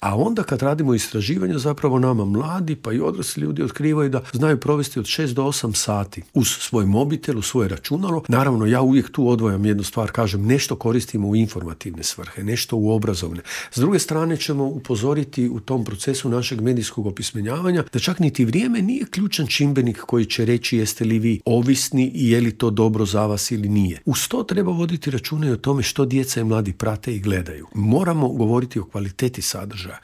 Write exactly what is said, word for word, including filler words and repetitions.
A onda kad radimo istraživanja, zapravo nama mladi pa i odrasli ljudi otkrivaju da znaju provesti od šest do osam sati uz svoj mobitel, u svoje računalo. Naravno, ja uvijek tu odvojam jednu stvar, kažem, nešto koristimo u informativne svrhe, nešto u obrazovne. S druge strane ćemo upozoriti u tom procesu našeg medijskog opismenjavanja da čak niti vrijeme nije ključan čimbenik koji će reći jeste li vi ovisni i je li to dobro za vas ili nije. Uz to treba voditi računa i o tome što djeca i mladi prate i gledaju. Moramo govoriti o kvaliteti sadržaja.